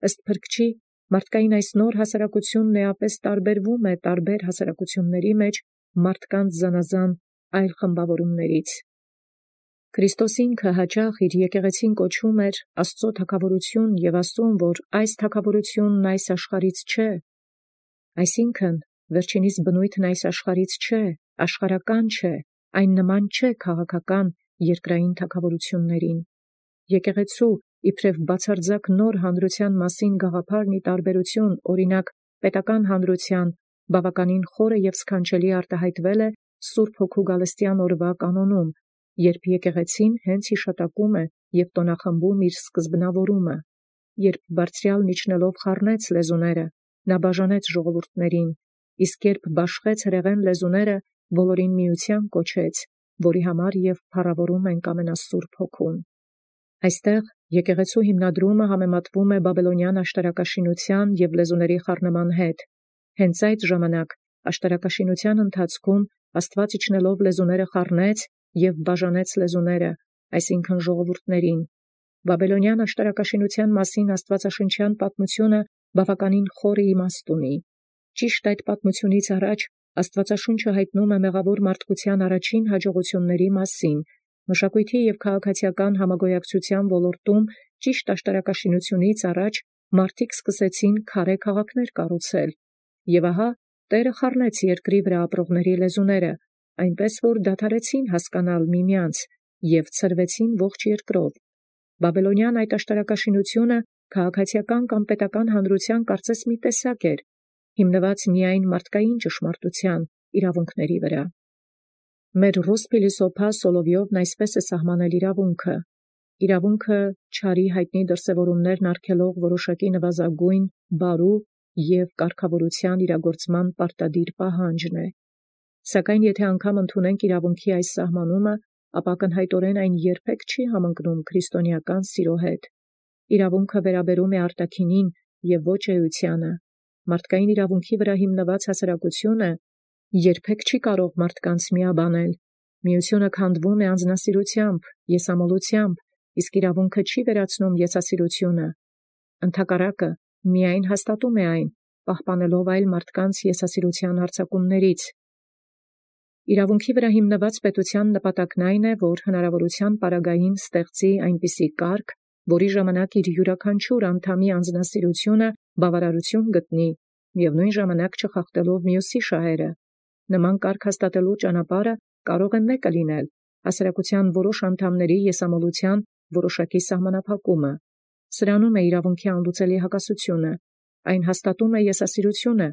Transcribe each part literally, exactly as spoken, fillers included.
Ըստ փրկչի, մարդկային այս նոր հասարակությունն էապես տարբերվում է տարբեր հասարակությունների մեջ մարդկանց զանազան այլ խմբավորումներից։ Քրիստոս ինքը հաճախ իր եկեղեցին կոչում էր Աստծո թագավորություն եւ ասում, որ այս թագավորությունն այս աշխարհից չէ, այսինքն վերջինիս բնույթն այս աշխարհից չէ, աշխարհական չէ, այն նման չէ քաղաքական երկրային թագավորություններին։ Եկեղեցու իբրև բացարձակ նոր հանրության մասին գաղափարն ի տարբերություն օրինակ պետական հանրության բավականին խորը եւ սքանչելի արտահայտվել է Սուրբ Հոգու գալստյան օրվա կանոնում, երբ եկեղեցին հենց հիշատակում է եւ տոնախմբում իր սկզբնավորումը, երբ բարձրյալն իջնելով խառնեց լեզուները, նա բաժանեց ժողովուրդներին, իսկ երբ բաշխեց հրեղեն լեզուները, բոլորին միության կոչեց, որի համար եւ փառավորում ենք ամենասուրբ Հոգուն։ Այստեղ եկեղեցու հիմնադրումը համեմատվում է բաբելոնյան աշտարակաշինության եւ լեզուների խառնման հետ։ Հենց այդ ժամանակ աշտարակաշինության ընթացքում Աստված իջնելով լեզուները խառնեց եւ բաժանեց լեզուները, այսինքն ժողովուրդներին։ Բաբելոնյան աշտարակաշինության մասին աստվածաշնչյան պատմությունը բավականին խորը իմաստ ունի։ Ճիշտ այդ պատմությունից առաջ Աստվածաշունչը հայտնում է մեղավոր մարդկության առաջին հաջողությունների մասին։ Մշակույթի եւ քաղաքացիական համագոյակցության ոլորտում ճիշտ աշտարակաշինությունից առաջ մարդիկ սկսեցին քարե քաղաքներ կառուցել։ Եվ ահա Տերը խառնեց երկրի վրա ապրողների լեզուները, այնպես որ դադարեցին հասկանալ միմյանց եւ ցրվեցին ողջ երկրով։ Բաբելոնյան այդ աշտարակաշինությունը քաղաքացիական կամ պետական հանրության կարծես մի տեսակ էր, հիմնված միայն մարդկային ճշմարտության իրավունքների վրա։ Մեր ռուս փիլիսոփա Սոլովյովն այսպես է սահմանել իրավունքը. իրավունքը չարի հայտնի դրսևորումներն արգելող որոշակի նվազագույն, բարու եւ կարգավորության իրագործման պարտադիր պահանջն է։ Սակայն եթե անգամ ընդունենք իրավունքի այս սահմանումը, ապա ակնհայտորեն այն երբեք չի համընկնում քրիստոնեական սիրո հետ։ Իրավունքը վերաբերում է արտաքինին եւ ոչ էությանը։ Մարդկային իրավունքի վրա հիմնված հասարակությունը երբեք չի կարող մարդկանց միաբանել։ Միությունը քանդվում է անձնասիրությամբ, եսամոլությամբ, իսկ իրավունքը չի վերացնում եսասիրությունը։ Ընդհակառակը, միայն հաստատում է այն, պահպանելով այլ մարդկանց եսասիրության հարձակումներից։ Իրավունքի վրա հիմնված պետության նպատակն այն է, որ հնարավորության պարագային ստեղծի այնպիսի կարգ, որի ժամանակ իր յուրաքանչյուր անդամի անձնասիրությունը բավարարություն գտնի եւ նույն ժամանակ չխախտելով մյուսի շահերը։ Նման կարգ հաստատելու ճանապարհը կարող է մեկը լինել՝ հասարակության որոշ անդամների եսամոլության որոշակի սահմանափակումը։ Սրանում է իրավունքի անլուծելի հակասությունը։ Այն հաստատում է եսասիրությունը,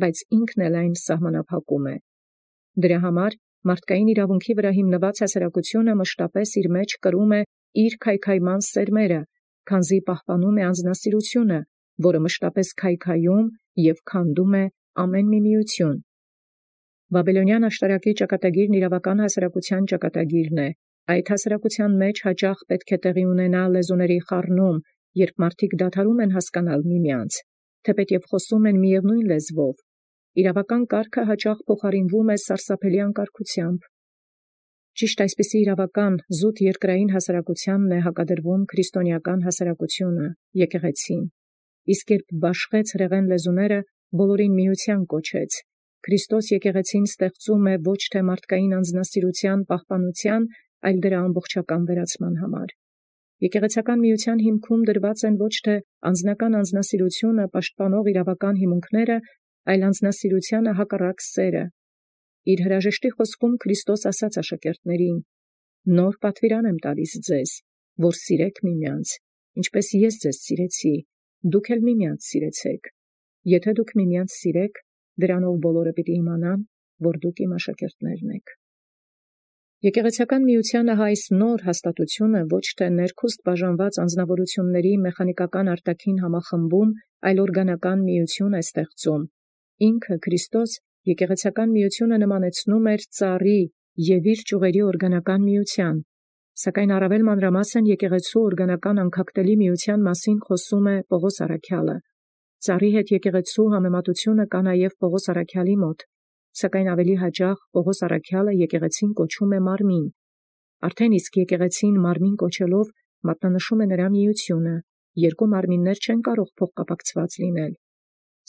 բայց ինքն էլ այն սահմանափակում է։ Դրա համար մարդկային իրավունքի վրա հիմնված հասարակությունը մշտապես իր մեջ կրում է իր քայքայման սերմերը, քանզի պահպանում է անձնասիրությունը, որը մշտապես քայքայում եւ քանդում է ամեն մի միություն։ Բաբելոնյան աշտարակի ճակատագիրն իրավական հասարակության ճակատագիրն է։ Այդ հասարակության մեջ հաճախ պետք է տեղի ունենա լեզուների խառնում, երբ մարդիկ դադարում են հասկանալ միմյանց, թեպետև խոսում են միևնույն լեզվով։ Իրավական կարգը հաճախ փոխարինվում է սարսափելի անկարգությամբ։ Ճիշտ այսպիսի իրավական զուտ երկրային հասարակությանն է հակադրվում քրիստոնեական հասարակությունը, եկեղեցին։ Իսկ երբ բաշխեց հրեղեն լեզուները, բոլորին միության կոչեց։ Քրիստոս եկեղեցին ստեղծում է ոչ թե մարդկային անձնասիրության պահպանության, այլ դրա ամբողջական վերացման համար։ Եկեղեցական միության հիմքում դրված են ոչ թե անձնական անձնասիրությունը պաշտպանող իրավական հիմունքները, այլ անձնասիրությանը հակառակ սերը։ Իր հրաժեշտի խոսքում Քրիստոս ասաց աշակերտներին. «Նոր պատվիրան եմ տալիս ձեզ, որ սիրեք միմյանց, ինչպես ես ձեզ սիրեցի, դուք էլ միմյանց սիրեցեք։ Եթե դուք միմյանց սիրեք, դրանով բոլորը պիտի իմանան, որ դուք իմ աշակերտներն եք»։ Եկեղեցական միությանը այս նոր հաստատությունը ոչ թե ներքուստ բաժանված անձնավորությունների մեխանիկական արտաքին համախմբում, այլ օրգանական միություն է ստեղծում։ Ինքը Քրիստոս եկեղեցական միությունը նմանեցնում էր ծառի եւ իր ճյուղերի օրգանական միության, սակայն առավել մանրամասն եկեղեցու օրգանական անքակտելի միության մասին խոսում է Պողոս առաքյալը։ Ծառի հետ եկեղեցու համեմատությունը կա նաև Պողոս առաքյալի մոտ, սակայն ավելի հաճախ Պողոս առաքյալը եկեղեցին կոչում է մարմին։ Արդեն իսկ եկեղեցին մարմին կոչելով մատնանշում է նրա միությունը երկու մարմիններ չեն կարող փոխկապակցված լինել։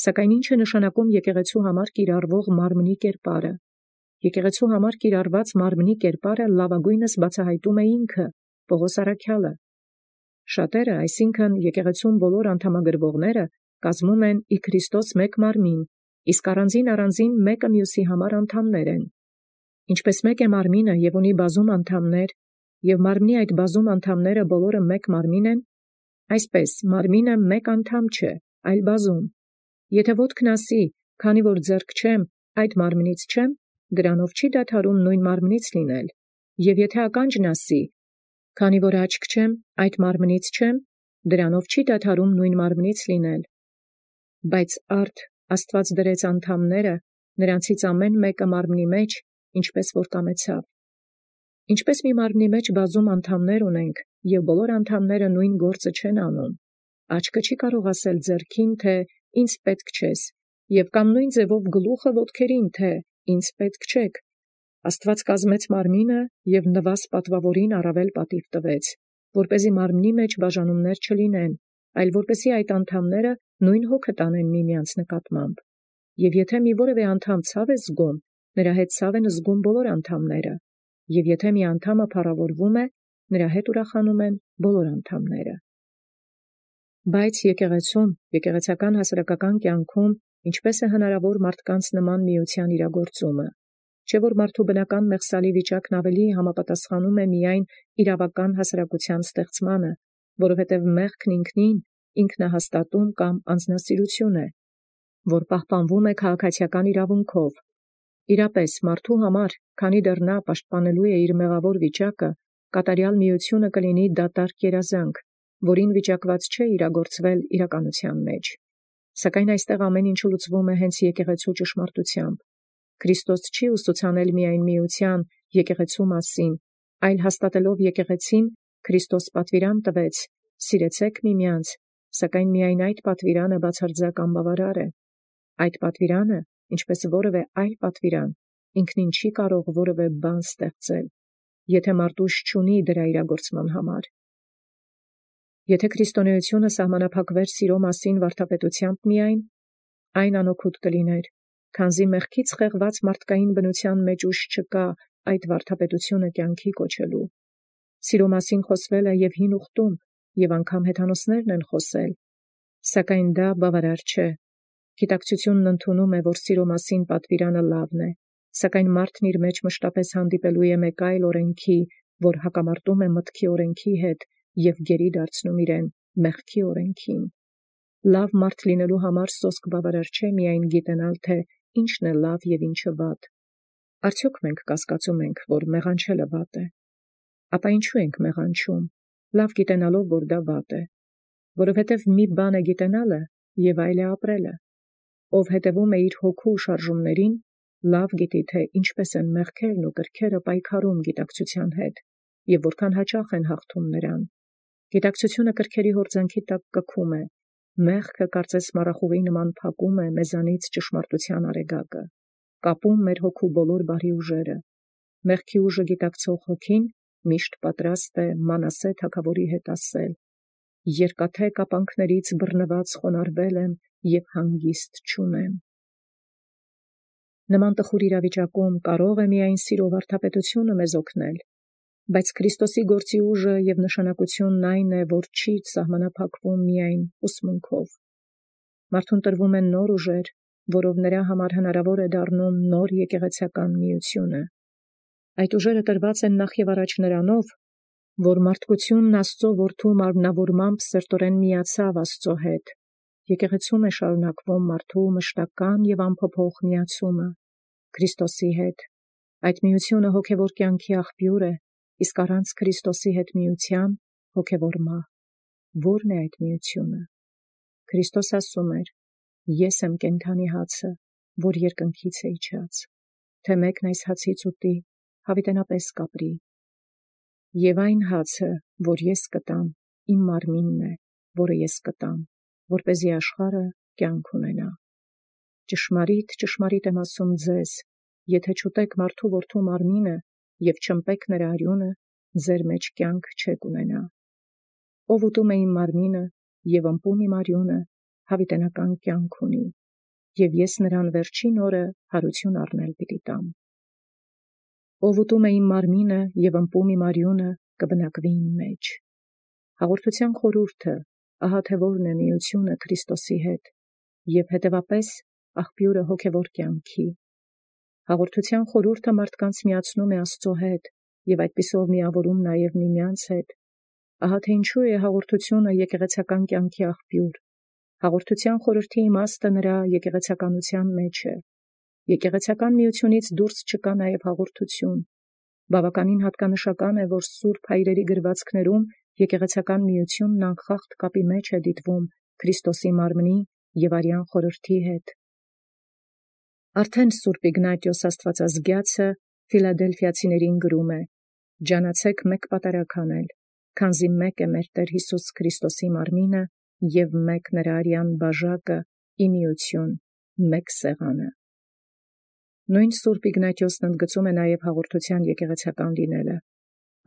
Սակայն ինչ է նշանակում եկեղեցու համար կիրառվող մարմնի կերպարը։ Եկեղեցու համար կիրառված մարմնի կերպարը լավագույնս բացահայտում է ինքը, Պողոս առաքյալը։ Շատերը, այսինքն եկեղեցուն բոլոր անդամագրվողները, կազմում են ի Քրիստոս մեկ մարմին, իսկ առանձին առանձին մեկը մյուսի համար անդամներ են։ Ինչպես մեկ է մարմինը և ունի բազում անդամներ, և մարմնի այդ բազում անդամները բոլորը մեկ մարմին են, այսպես մարմինը մեկ անդամ չէ, այլ բազում։ Եթե ոտքն ասի, քանի որ ձեռք չեմ, այդ մարմնից չեմ, դրանով չի դադարում նույն մարմնից լինել, և եթե ականջն ասի, քանի որ աչք չեմ, այդ մարմնից չեմ, դրանով չի դադարում նույն մարմնից լինել։ Բայց արդ Աստված դրեց անդամները, նրանցից ամեն մեկը մարմնի մեջ, ինչպես որ կամեցավ։ Ինչպես մի մարմնի մեջ բազում անդամներ ունենք, և բոլոր անդամները նույն գործը չեն անում, աչքը չի կարող ասել ձեռքին, թե ինձ պետք չես, և կամ նույն ձևով գլուխը ոտքերին, թե ինձ պետք չեք։ Աստված կազմեց մարմինը և նվազ պատվավորին առավել պատիվ տվեց, որպեսզի մարմնի մեջ բաժանումներ չլինեն, այլ որպեսզի այդ անդամները նույն հոգը տանեն միմյանց նկատմամբ։ Եվ եթե մի որևէ անդամ ցավ է զգում, նրա հետ ցավ են զգում բոլոր անդամները, և եթե մի անդամը փառավորվում է, նրա հետ ուրախանում են բոլոր անդամները։ Բայց եկեղեցում, եկեղեցական հասարակական կյանքում ինչպես է հնարավոր մարդկանց նման միության իրագործումը, չէ՞ որ մարդու բնական մեղսալի վիճակն ավելի համապատասխանում է միայն իրավական հասարակության ստեղծմանը, որովհետև մեղքն ինքնին ինքնահաստատում կամ անձնասիրություն է, որ պահպանվում է քաղաքացիական իրավունքով։ Իրապես մարդու համար, քանի դեռ նա պաշտպանելու է իր մեղավոր վիճակը, կատարյալ միությունը կլինի դատարկ երազանք, որին վիճակված չէ իրագործվել իրականության մեջ։ Սակայն այստեղ ամեն ինչ լուծվում է հենց եկեղեցու ճշմարտությամբ։ Քրիստոս չի ուսուցանել միայն միության եկեղեցու մասին, այլ հաստատելով եկեղեցին, Քրիստոս պատվիրան տվեց. «Սիրեցեք միմյանց», սակայն միայն այդ պատվիրանը բացարձակ անբավարար է։ Այդ պատվիրանը, ինչպես որևէ այլ պատվիրան, ինքնին չի կարող որևէ բան ստեղծել, եթե մարդ ուժ չունի դրա իրագործման համար։ Եթե քրիստոնեությունը սահմանափակվեր սիրո մասին վարդապետությամբ միայն, այն անօգուտ կլիներ, քանզի մեղքից խեղված մարդկային բնության մեջ ուժ չկա այդ վարդապետությունը կյանքի կոչելու։ Սիրո մասին խոսվել է և հին ուխտում, և անգամ հեթանոսներն են խոսել, սակայն դա բավարար չէ։ Գիտակցությունն ընդունում է, որ սիրո մասին պատվիրանը լավն է, սակայն մարդն իր մեջ մշտապես հանդիպելու է մեկ այլ օրենքի, որ հակամարտում է մտքի օրենքի հետ և գերի դարձնում իրեն մեղքի օրենքին։ Լավ մարդ լինելու համար սոսկ բավարար չէ միայն գիտենալ, թե ինչն է լավ և ինչը վատ։ Արդյոք մենք կասկածում ենք, որ մեղանչելը վատ է։ Ապա ինչու ենք մեղանչում, լավ գիտենալով, որ դա վատ է։ Որովհետև մի բան է գիտենալը և այլ է ապրելը։ Ով հետևում է իր հոգու շարժումներին, լավ գիտի, թե ինչպես են մեղքերն ու կրքերը պայքարում գիտակցության հետ և որքան հաճախ են հաղթում նրան։ Գիտակցությունը կրքերի հորձանքի տակ կքում է, մեղքը կարծես մառախուղի նման փակում է մեզանից ճշմարտության արեգակը, կապում մեր հոգու բոլոր բարի ուժերը։ Մեղքի ուժը գիտակցող հոգին միշտ պատրաստ է Մանասե թագավորի հետ ասել. «Երկաթե կապանքներից բռնված խոնարհվել եմ և հանգիստ չունեմ»։ Նման տխուր իրավիճակում կարող է միայն սիրո վարդապետությունը մեզ օգնել, բայց Քրիստոսի գործի ուժը և նշանակությունն այն է, որ չի սահմանափակվում միայն ուսմունքով։ Մարդուն տրվում են նոր ուժեր, որով նրա համար հնարավոր է դառնում նոր եկեղեցական միությունը։ Այդ ուժերը տրված են նախ և առաջ նրանով, որ մարդկությունն Աստծո որդու մարմնավորմամբ սերտորեն միացավ Աստծո հետ։ Եկեղեցում է շարունակվում մարդու մշտական և անփոփոխ միացումը Քրիստոսի հետ։ Այդ միությունը հոգևոր կյանքի աղբյուր է, իսկ առանց Քրիստոսի հետ միության հոգևոր մահ։ Ո՞րն է այդ միությունը։ Քրիստոս ասում էր. «Ես եմ կենդանի հացը, որ երկնքից է իջած, թե մեկն այս հացից ուտի, հավիտենապես կապրի։ Եվ այն հացը, որ ես կտամ, իմ մարմինն է, որը ես կտամ, որպեսզի աշխարհը կյանք ունենա։ Ճշմարիտ, ճշմարիտ եմ ասում ձեզ, եթե չուտեք մարդու որդու մարմինը և չըմպեք նրա արյունը, ձեր մեջ կյանք չեք ունենա։ Ով ուտում է իմ մարմինը և ըմպում իմ արյունը հավիտենական կյանք ունի, և ես նրան վերջին օրը հարություն առնել պիտի տամ։ Ով ուտում է իմ մարմինը և ըմպում իմ արյունը, կբնակվի իմ մեջ։ Հաղորդության խորհուրդը ահա թե որն է միությունը Քրիստոսի հետ, և հետևապես աղբյուրը հոգևոր կյանքի։ Հաղորդության խորհուրդը մարդկանց միացնում է Աստծո հետ և այդպիսով միավորում նաև միմյանց հետ։ Ահա թե ինչու է հաղորդությունը եկեղեցական կյանքի աղբյուր։ Հաղորդության խորհրդի իմաստը նրա եկեղեցականության մեջ է։ Եկեղեցական միությունից դուրս չկա նաև հաղորդություն։ Բավականին հատկանշական է, որ սուրբ հայրերի գրվածքներում եկեղեցական միությունն անխախտ կապի մեջ է դիտվում Քրիստոսի մարմնի և արյան խորհրդի հետ։ Արդեն Սուրբ Իգնատիոս Աստվածազգյացը Ֆիլադելֆիացիներին գրում է. «Ջանացեք մեկ պատարագ անել, քանզի մեկ է մեր Տեր Հիսուս Քրիստոսի մարմինը և մեկ նրա արյան բաժակը, ի միություն, մեկ սեղանը»։ Նույն Սուրբ Իգնատիոսն ընդգծում է նաև հաղորդության եկեղեցական լինելը։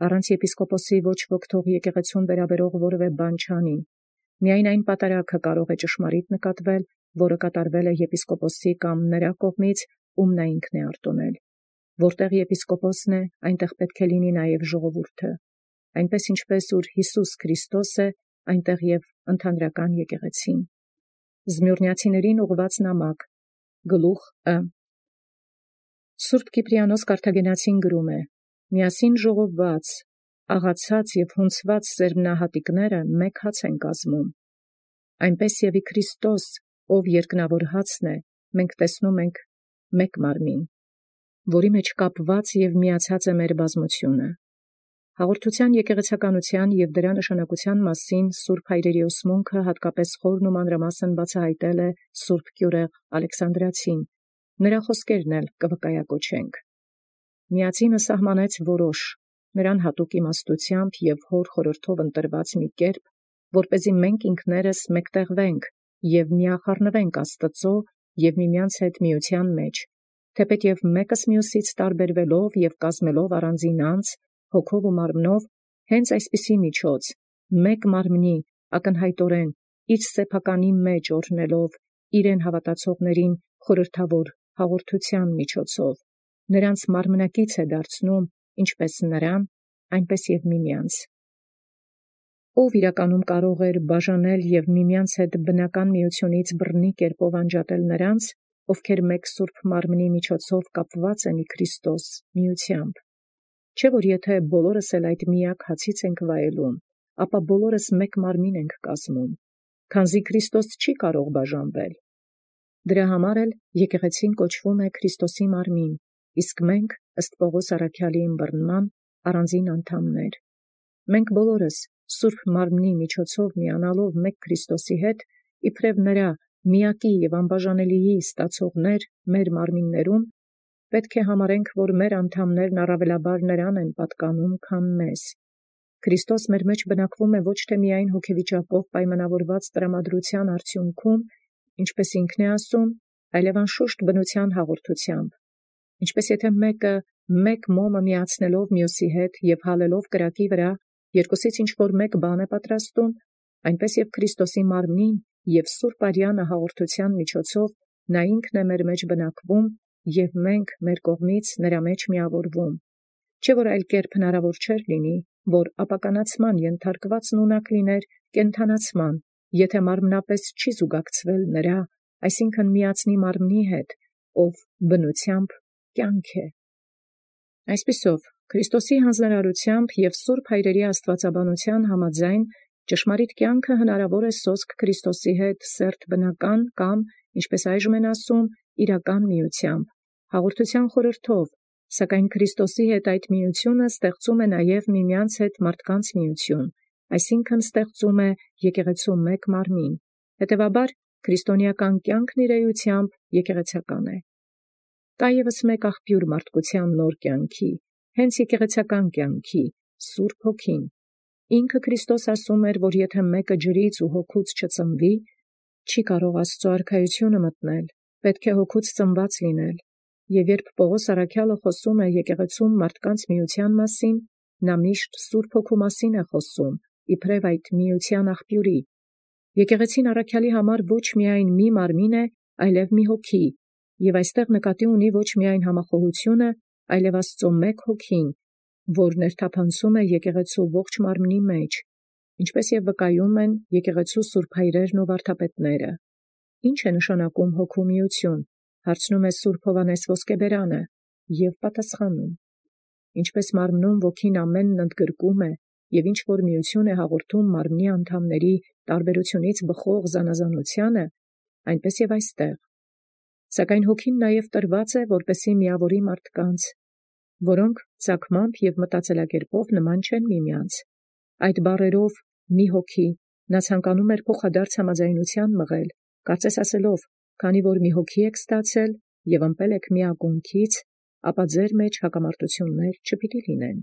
Առանց եպիսկոպոսի ոչ ոք թող եկեղեցուն վերաբերող որևէ բան չանի։ Միայն այն պատարագը կարող է ճշմարիտ նկատվել, որը կատարվել է եպիսկոպոսի կամ նրա կողմից, ում նա ինքն է արտոնել։ Որտեղ եպիսկոպոսն է, այնտեղ պետք է լինի նաև ժողովուրդը։ Այնպես ինչպես ուր Հիսուս Քրիստոս է, այնտեղ և ընդհանրական եկեղեցին։ Զմյուրնիացիներին ուղղված նամակ, գլուխ Ը։ Սուրբ Կիպրիանոս Կարթագենացին գրում է. «Միասին ժողովված, աղացած և հունցված սերմնահատիկները մեկ հաց են կազմում։ Այնպես և ի Քրիստոս, ով երկնավոր հացն է, մենք տեսնում ենք մեկ մարմին, որի մեջ կապված և միացած է մեր բազմությունը»։ Հաղորդության եկեղեցականության և դրա նշանակության մասին սուրբ հայրերի ուսմունքը հատկապես խորն ու մանրամասն բացահայտել է սուրբ Կյուրեղ Ալեքսանդրացին, նրա խոսքերն էլ կվկայակոչենք։ Միածինը սահմանեց որոշ, նրան հատուկ իմաստությամբ և հոր խորհրդով ընտրված մի կերպ, որպեսզի մենք ինքներս մեկտեղվենք և միախառնվենք Աստծո և միմյանց հետ միության մեջ, թեպետև մեկս մյուսից տարբերվելով և կազմելով առանձին անձ, հոգով ու մարմնով, հենց այսպիսի միջոց, մեկ մարմնի, ակնհայտորեն, իր սեփականի մեջ օրհնելով իրեն հավատացողներին խորհրդավոր հաղորդության միջոցով, նրանց մարմնակից է դարձնում ինչպես նրան, այնպես և միմյանց։ Ով իրականում կարող էր բաժանել և միմյանց հետ բնական միությունից բռնի կերպով անջատել նրանց, ովքեր մեկ սուրբ մարմնի միջոցով կապված են ի Քրիստոս միությամբ։ Չէ՞ որ եթե բոլորս էլ այդ միակ հացից ենք վայելում, ապա բոլորս մեկ մարմին ենք կազմում, քանզի Քրիստոս չի կարող բաժանվել։ Դրա համար էլ եկեղեցին կոչվում է Քրիստոսի մարմին, իսկ մենք, ըստ Պողոս առաքյալի ըմբռնման, առանձին անդամներ։ Մենք բոլորս սուրբ մարմնի միջոցով միանալով մեկ Քրիստոսի հետ, իբրև նրա միակի և անբաժանելիի ստացողներ մեր մարմիններում, պետք է համարենք, որ մեր անդամներն առավելաբար նրան են պատկանում, քան մեզ։ Քրիստոս մեր մեջ բնակվում է ոչ թե միայն հոգեվիճակով պայմանավորված տրամադրության արդյունքում, ինչպես ինքն է ասում, այլև անշուշտ բնության հաղորդությամբ։ Ինչպես եթե մեկը մեկ մոմը միացնելով մյուսի հետ և հալելով կրակի վրա, երկուսից ինչ-որ մեկ բան է պատրաստում, այնպես և Քրիստոսի մարմնին և սուրբ արյանը հաղորդության միջոցով նա ինքն է մեր մեջ բնակվում և մենք մեր կողմից նրա մեջ միավորվում։ Չէ՞ որ այլ կերպ հնարավոր չէր լինի, որ ապականացման ենթարկվածն ունակ լիներ կենդանացման, եթե մարմնապես չի զուգակցվել նրա, այսինքն միածնի մարմնի հետ, ով բնությամբ կյանք է։ Այսպիսով, Քրիստոսի հանձնարարությամբ և սուրբ հայրերի աստվածաբանության համաձայն ճշմարիտ կյանքը հնարավոր է սոսկ Քրիստոսի հետ սերտ բնական կամ, ինչպես այժմ են ասում, իրական միությամբ, հաղորդության խորհրդով, սակայն Քրիստոսի հետ այդ միությունը ստեղծում է նաև միմյանց հետ մարդկանց միություն, այսինքն ստեղծում է եկեղեցու մեկ մարմին, հետևաբար քրիստոնեական կյանքն իր էությամբ եկեղեցական է։ Կա ևս մեկ աղբյուր մարդկության նոր կյանքի, հենց եկեղեցական կյանքի, Սուրբ Հոգին։ Ինքը Քրիստոս ասում էր, որ եթե մեկը ջրից ու հոգուց չծնվի, չի կարող Աստծո արքայությունը մտնել, պետք է հոգուց ծնված լինել։ Եվ երբ Պողոս առաքյալը խոսում է եկեղեցում մարդկանց միության մասին, նա միշտ Սուրբ Հոգու մասին է խոսում, իբրև այդ միության աղբյուրի։ Եկեղեցին առաքյալի համար ոչ միայն մի մարմին է, այլև մի հոգի, և այստեղ նկատի ունի ոչ միայն համախոհությունը, այլև Աստծո մեկ հոգին, որ ներթափանցում է եկեղեցու ողջ մարմնի մեջ, ինչպես և վկայում են եկեղեցու սուրբ հայրերն ու վարդապետները։ Ինչ է նշանակում հոգու միություն, հարցնում է սուրբ Հովհաննես Ոսկեբերանը, և պատասխանում. ինչպես մարմնում ոգին ամենն ընդգրկում է, և ինչ որ միություն է հաղորդում մարմնի անդամների տարբերությունից բխող զանազանությանը, այնպես և այստեղ։ Սակայն հոգին նաև տրված է, որպեսզի միավորի մարդկանց, որոնք ծագմամբ և մտածելակերպով նման չեն միմյանց։ Այդ բառերով «մի հոգի» նա ցանկանում էր փոխադարձ համաձայնության մղել, կարծես ասելով. «Քանի որ մի հոգի եք ստացել և ըմպել եք մի ակունքից, ապա ձեր մեջ հակամարտություններ չպիտի լինեն»։